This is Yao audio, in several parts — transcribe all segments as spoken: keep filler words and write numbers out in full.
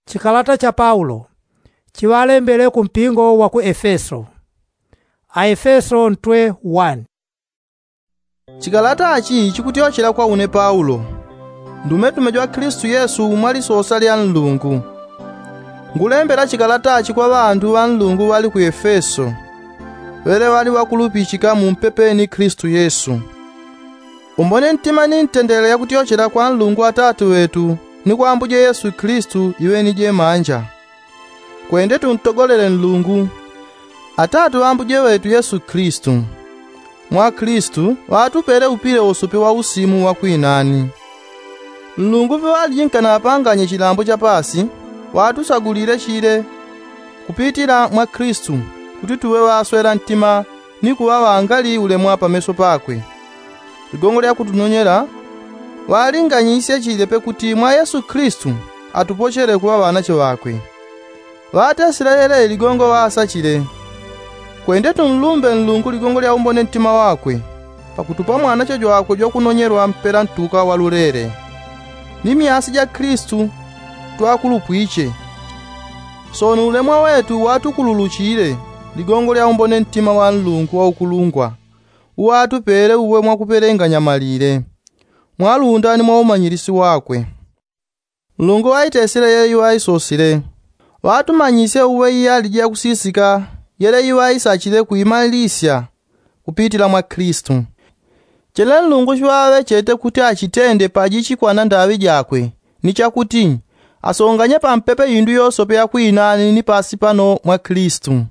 Chikalata cha paulo chiŵalembele ku mpingo wa ku efeso. Aefeso ntwe wani. Chikalata chi chikutyochela kwa une paulo, ndumetume jwa klistu yesu mwa lisosa lya nlungu. Ngulembela chikalata chi kwa ŵandu ŵa nlungu ŵali ku efeso, ŵele ŵali ŵakulupichika mu mpepeni klistu yesu. Umbone ntima ni ntendele ya kutyochela kwa nlungu atatu ŵetu ni kwa ambuje yesu klistu iŵeni jemanja. Kwende tuntogolele nlungu, atatu ŵa ambuje ŵetu yesu klistu. Mwa klistu ŵatupele upile wosope wa usimu wa kwinani. Nlungu paŵaliji nkanapanganye chilambo cha pasi, ŵatusagulile chile kupitila mwa klistu, kuti tuŵe ŵaswela ntima ni kuŵa ŵangali ulemwa pameso pakwe. Ligongo lya kutunonyela ŵalinganyisye chile pe kuti mwa yesu klistu atupochele kuŵa ŵanache ŵakwe. Ŵatesile yele ligongo ŵasachile. Kwende tunlumbe nlungu ligongo lya umbone ntima wakwe, pakutupa mwanache jwakwe jwakunonyelwa mpela ntuka wa lulele, ni myasi ja klistu twakulupwiche. Sono ulemwa wetu watukululuchile ligongo lya umbone ntima wa nlungu wa ukulungwa, uŵatupele uwe mwakupelenganya malile mwa lunda ni mwa umanyilisi wakwe. Nlungu ŵaitesile yele iŵaisosile, ŵatumanyisye uwe iyaliji yakusisika yele iŵaisachile kuimalisya kupitila mwa klistu. Chele nlungu chiŵaŵechete kuti achitende pajichikwana ndaŵi jakwe, ni chakuti asonganye pampepe indu yosope yakwinani ni pasi pano mwa klistu.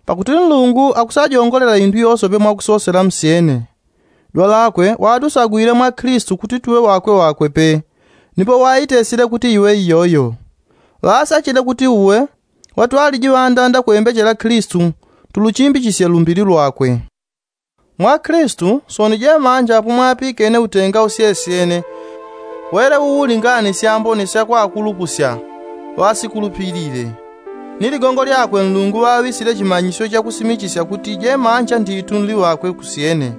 Pakuti nlungu akusajongolela indu yosope mwakusosela msyene. Dwalakwe watusagwile mwa klistu kuti tuŵe ŵakwe ŵakwe pe, nipo waitesile kuti iŵe iyoyo. Ŵasachile kuti uwe watwaliji ŵandanda kwembechela klistu, tuluchimbichisye lumbili lwakwe. Mwa klistu soni jemanja apo mwapikene utenga usyesyene, wele uwulinganisya mboni syakwakulupusya ŵasikulupilile. Ni ligongo lyakwe nlungu ŵaŵisile chimanyisyo chakusimichisya kuti jemanja nditu nli ŵakwe kusyene,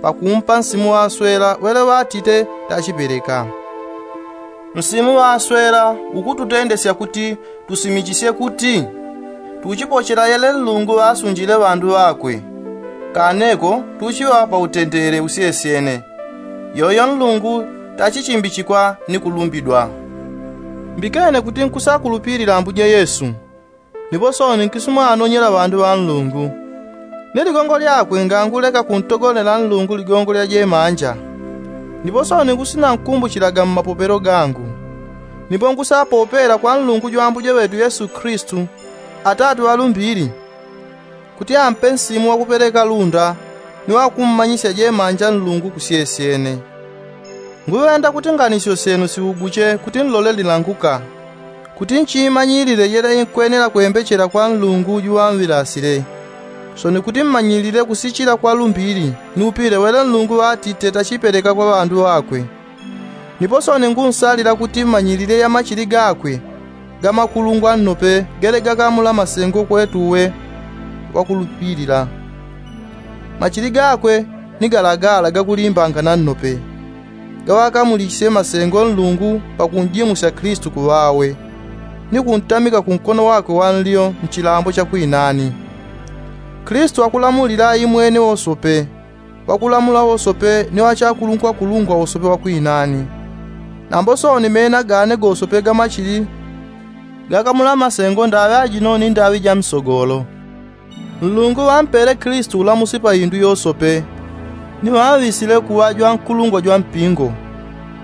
pakumpa nsimu ŵaswela wele ŵatite tachipeleka. Nsimu ŵaswela ukututendesya kuti tusimichisye kuti tuchipochela yele nlungu ŵasunjile ŵandu ŵakwe. Kaneko tuchiŵa pa utendele usyesyene, yoyo nlungu tachichimbichikwa ni kulumbidwa. Mbikene kuti nkusakulupilila ambuje yesu, nipo soni nkisumwanonyela ŵandu ŵa nlungu. Ni ligongo lyakwe nganguleka kuntogolela nlungu ligongo lya jemanja. Nipo soni ngusinankumbuchilaga mmapopelo gangu. Nipo ngusapopela kwa nlungu jwa ambuje ŵetu yesu klistu, atatu ŵalumbili, kuti ampe nsimu wakupeleka lunda ni wakummanyisya jemanja nlungu kusyesyene. Nguŵenda kuti nganisyo syenu siuguche kuti nlole lilanguka, kuti nchimanyilile yele inkwenela kwembechela kwa nlungu juŵanŵilasile. Soni kuti mmanyilile kusichila kwa lumbili ni upile wele nlungu ŵatite tachipeleka kwa ŵandu ŵakwe. Nipo soni ngunsalila kuti mmanyilile ya machili gakwe gamakulungwa nnope gele gakamula masengo kwetu uwe wakulupilila. Machili gakwe ni galagala gakulimbangana nnope, gaŵakamulisye masengo nlungu pakunjimusya klistu kuŵawe, ni kuntamika kunkono wakwe wa nlyo nchilambo cha kwinani. Klistu akulamulila imwene wosope, wakulamula wosope ni wachakulungwakulungwa wosope wakwinani. Nambo soni mena gane gosope gamachili gakamula masengo ndaŵi ajino ni ndaŵi ja misogolo. Nlungu ŵampele klistu ulamusi pa indu yosope, ni ŵaŵisile kuŵa jwankulungwa jwa mpingo.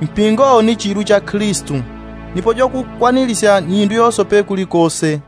Mpingo ni chilu cha klistu, nipo jwakukwanilisya ni indu yosope kulikose.